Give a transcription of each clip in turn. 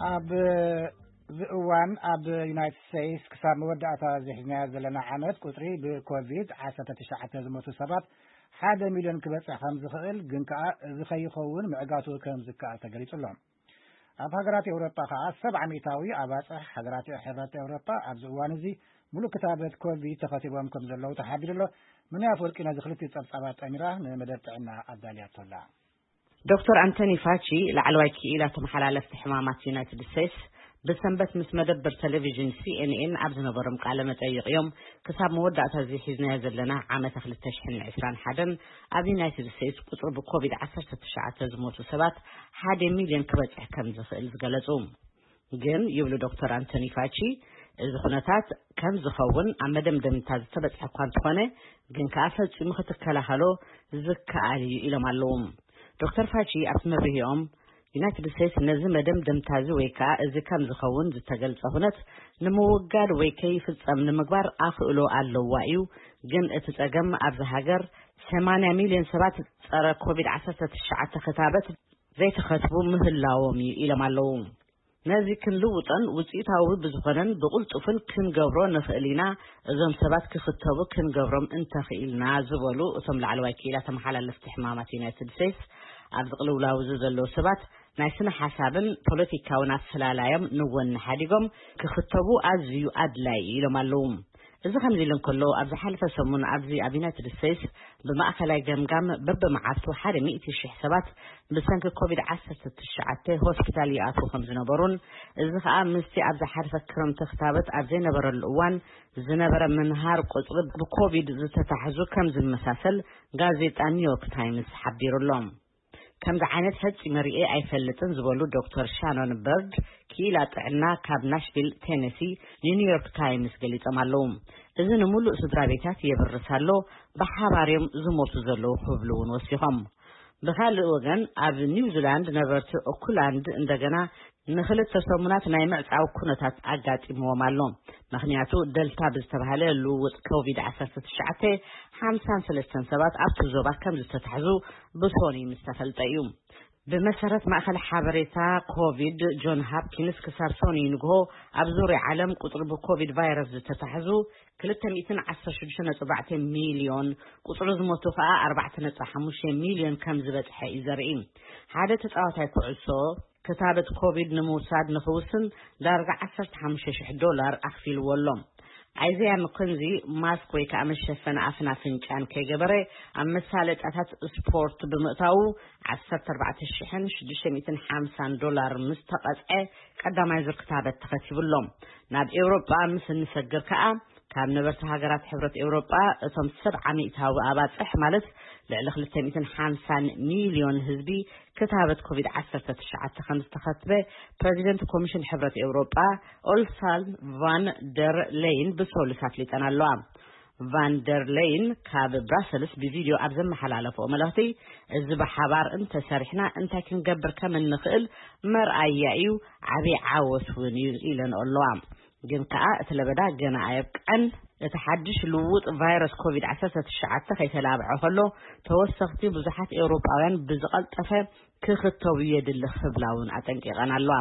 ኣብ እዚ እዋን ኣብ ዩናይትድ ስቴትስ ክሳብ መወዳእታ ዝሕዝናዮ ዘለና ዓመት ቁፅሪ ብኮቪድ ዓሰርተ ትሽዓተ ዝሞቱ ሰባት ሓደ ሚልዮን ክበፅሕ ከም ዝኽእል፣ ግን ከኣ እዚ ከይኸውን ምዕጋቱ ከም ዝከኣል ተገሊጹ ኣሎ። ኣብ ሃገራት ኤውሮጳ ከኣ ሰብዓ ሚእታዊ ኣባጽሕ ሃገራት ሕብረት ኤውሮጳ ኣብዚ እዋን እዚ ሙሉእ ክታበት ኮቪድ ተኸቲቦም ከም ዘለዉ ተሓቢሩ ኣሎ። ምንያ ኣፈወርቂ ነዚ ክልቲኡ ጸብጻባት ጠሚራ ንመደብ ጥዕና ኣዳልያቶ ኣላ። ዶክተር ኣንቶኒ ፋቺ፣ ላዕለዋይ ክኢላ ተመሓላለፍቲ ሕማማት ዩናይትድ ስቴትስ፣ ብሰንበት ምስ መደበር ቴሌቪዥን ሲ ኤን ኤን ኣብ ዝነበሮም ቃለ መጠይቕ እዮም፣ ክሳብ መወዳእታ እዚ ሒዝናዮ ዘለና ዓመተ ክልተ ሽሕን ዕስራን ሓደን ኣብ ዩናይትድ ስቴትስ ቁጽሪ ብኮቪድ ዓሰርተ ትሽዓተ ዝሞቱ ሰባት ሓደ ሚልዮን ክበጽሕ ከም ዝኽእል ዝገለጹ። ግን ይብሉ ዶክተር ኣንቶኒ ፋቺ፣ እዚ ኩነታት ከም ዝኸውን ኣብ መደምደምታ ዝተበጽሐ እኳ እንተኾነ፣ ግን ከኣ ፈጺሙ ክትከላኸሎ ዝከኣል እዩ ኢሎም ኣለዉ። ዶክተር ፋቺ ኣብቲ መብርሂኦም፣ ዩናይትድ ስቴትስ ነዚ መደምደምታ እዚ ወይ ከኣ እዚ ከም ዝኸውን ዝተገልጸ ኩነት ንምውጋድ ወይ ከይፍጸም ንምግባር ኣኽእሎ ኣለዋ እዩ፣ ግን እቲ ጸገም ኣብዚ ሃገር ሰማንያ ሚልዮን ሰባት ጸረ ኮቪድ ዓሰርተ ትሽዓተ ክታበት ዘይተኸትቡ ምህላዎም እዩ ኢሎም ኣለዉ። ነዚ ክንልውጦን ውጽኢታዊ ብዝኾነን ብቕልጡፍን ክንገብሮ ንኽእል ኢና። እዞም ሰባት ክኽተቡ ክንገብሮም እንተኽኢልና ዝበሉ እቶም ላዕለዋይ ክኢላ ተመሓላለፍቲ ሕማማት ዩናይትድ ስቴትስ፣ ኣብዚ ቅልውላው እዚ ዘለዉ ሰባት ናይ ስነ ሓሳብን ፖለቲካውን ኣፈላላዮም ንወኒ ሓዲጎም ክኽተቡ ኣዝዩ ኣድላይ ኢሎም ኣለዉ። እዚ ከምዚ ኢሉ እንከሎ፣ ኣብ ዝሓለፈ ሰሙን ኣብዚ ኣብ ዩናይትድ ስቴትስ ብማእኸላይ ገምጋም በብመዓልቱ ሓደ ሚእቲ ሽሕ ሰባት ብሰንኪ ኮቪድ ዓሰርተ ትሽዓተ ሆስፒታል ይኣትዉ ከም ዝነበሩን፣ እዚ ኸኣ ምስቲ ኣብ ዝሓለፈ ክረምቲ ክታበት ኣብ ዘይነበረሉ እዋን ዝነበረ ምንሃር ቁጽሪ ብኮቪድ ዝተታሕዙ ከም ዝመሳሰል ጋዜጣ ኒውዮርክ ታይምስ ሓቢሩ ኣሎ። ከምዚ ዓይነት ፈጺመ ርእየ ኣይፈልጥን ዝበሉ ዶክተር ሻኖን በርድ፣ ክኢላ ጥዕና ካብ ናሽቪል ቴነሲ፣ ንኒውዮርክ ታይምስ ገሊጾም ኣለዉ። እዚ ንምሉእ ስድራ ቤታት የብርስ ኣሎ፣ ብሓባር እዮም ዝሞቱ ዘለዉ ክብሉ እውን ወሲኾም። ብኻልእ ወገን፣ ኣብ ኒውዚላንድ ነበርቲ ኦክላንድ እንደገና ንኽልተ ሰሙናት ናይ ምዕጻው ኩነታት ኣጋጢምዎም ኣሎ። ምኽንያቱ፣ ደልታ ብዝተባህለ ልውውጥ ኮቪድ ዓሰርተ ትሽዓተ ሓምሳን ሰለስተን ሰባት ኣብቲ ዞባ ከም ዝተታሕዙ ብሶኒ ምስ ተፈልጠ እዩ። ብመሰረት ማእከል ሓበሬታ ኮቪድ ጆን ሃፕኪንስ፣ ክሳብ ሶኒ ንግሆ ኣብ ዙርያ ዓለም ቁጽሪ ብኮቪድ ቫይረስ ዝተታሕዙ ክልተ ሚእትን ዓሰርተ ሽዱሽተ ነጥቢ ኣርባዕተ ሚልዮን፣ ቁጽሪ ዝሞቱ ከኣ ኣርባዕተ ነጥቢ ሓሙሽተ ሚልዮን ከም ዝበጽሐ እዩ ዘርኢ። ሓደ ተጻዋታይ ኩዕሶ ክታበት ኮቪድ ንምውሳድ ንኽውስን ዳርጋ ዓሰርተ ሓሙሽተ ሽሕ ዶላር ኣኽፊልዎ ኣሎ። ኣይዘያ መኮንዚ ማስክ ወይ ከኣ መሸፈኒ ኣፍን ኣፍንጫን ከይገበረ ኣብ መሳለጥያታት ስፖርት ብምእታዉ ዓሰርተ ኣርባዕተ ሽሕን ሽዱሽተ ሚእትን ሓምሳን ዶላር ምስ ተቐጽዐ ቀዳማይ ዙር ክታበት ተኸቲቡ ኣሎ። ናብ ኤውሮጳ ምስ እንሰግር ከኣ ካብ ነበርቲ ሃገራት ሕብረት ኤውሮጳ እቶም ሰብዓ ሚእታዊ ኣባጽሕ ማለት ልዕሊ ክልተ ሚእትን ሓምሳን ሚልዮን ህዝቢ ክታበት ኮቪድ ዓሰርተ ትሽዓተ ከም ዝተኸትበ ፕረዚደንት ኮሚሽን ሕብረት ኤውሮጳ ኦልሳን ቫን ደር ሌይን ብሰሉስ ኣፍሊጠን ኣለዋ። ቫን ደር ሌይን ካብ ብራሰልስ ብቪድዮ ኣብ ዘመሓላለፍኦ መልእኽቲ፣ እዚ ብሓባር እንተሰሪሕና እንታይ ክንገብር ከም እንኽእል መርኣያ እዩ፣ ዓብዪ ዓወት እውን እዩ ኢለን ኣለዋ። ግን ከኣ እቲ ለበዳ ገና ኣየብቅዐን። እቲ ሓድሽ ልውውጥ ቫይረስ ኮቪድ ዓሰርተ ትሽዓተ ከይተላብዐ ከሎ፣ ተወሰኽቲ ብዙሓት ኤውሮጳውያን ብዝቐልጠፈ ክኽተቡ የድሊ ክብላ እውን ኣጠንቂቐን ኣለዋ።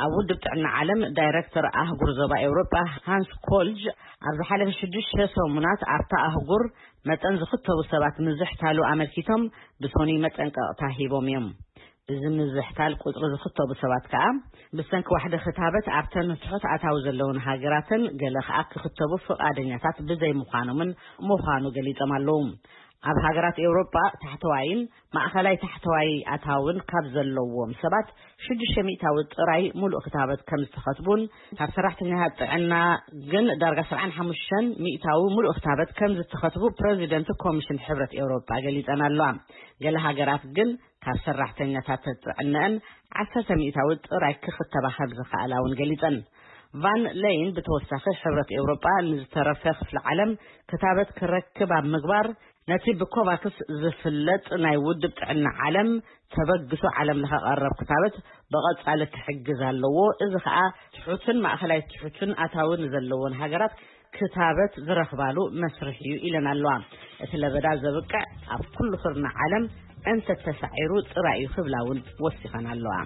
ኣብ ውድብ ጥዕና ዓለም ዳይረክተር ኣህጉር ዞባ ኤውሮጳ ሃንስ ኮልጅ፣ ኣብ ዝሓለፈ ሽዱሽተ ሰሙናት ኣብታ ኣህጉር መጠን ዝኽተቡ ሰባት ምዝሕታሉ ኣመልኪቶም ብሶኒ መጠንቀቕታ ሂቦም እዮም። እዚ ምዝሕታል ቁጽሪ ዝኽተቡ ሰባት ከኣ ብሰንኪ ዋሕዲ ክታበት ኣብተን ትሑት ኣታዊ ዘለውን ሃገራትን ገለ ከኣ ክኽተቡ ፍቓደኛታት ብዘይምዃኖምን ምዃኑ ገሊጾም ኣለዉ። ኣብ ሃገራት ኤውሮጳ ታሕተዋይን ማእኸላይ ታሕተዋይ ኣታውን ካብ ዘለዎም ሰባት ሽዱሽተ ሚእታዊ ጥራይ ሙሉእ ክታበት ከም ዝተኸትቡን ካብ ሰራሕተኛታት ጥዕና ግን ዳርጋ ሰብዓን ሓሙሽተን ሚእታዊ ሙሉእ ክታበት ከም ዝተኸትቡ ፕረዚደንት ኮሚሽን ሕብረት ኤውሮጳ ገሊጸን ኣለዋ። ገለ ሃገራት ግን ካብ ሰራሕተኛታት ጥዕነአን ዓሰርተ ሚእታዊ ጥራይ ክኽተባ ከም ዝኸኣላ እውን ገሊጸን። ቫን ለይን ብተወሳኺ ሕብረት ኤውሮጳ ንዝተረፈ ክፍሊ ዓለም ክታበት ክረክብ ኣብ ምግባር ነቲ ብኮቫክስ ዝፍለጥ ናይ ውድብ ጥዕና ዓለም ተበግሶ ዓለም ለኸ ቀረብ ክታበት ብቐጻሊ ክሕግዝ ኣለዎ። እዚ ኸኣ ትሑትን ማእኸላይ ትሑትን ኣታዊ ንዘለዎን ሃገራት ክታበት ዝረኽባሉ መስርሕ እዩ ኢለን ኣለዋ። እቲ ለበዳ ዘብቅዕ ኣብ ኩሉ ክርና ዓለም እንተተሳዒሩ ጥራይ እዩ ክብላ እውን ወሲኸን ኣለዋ።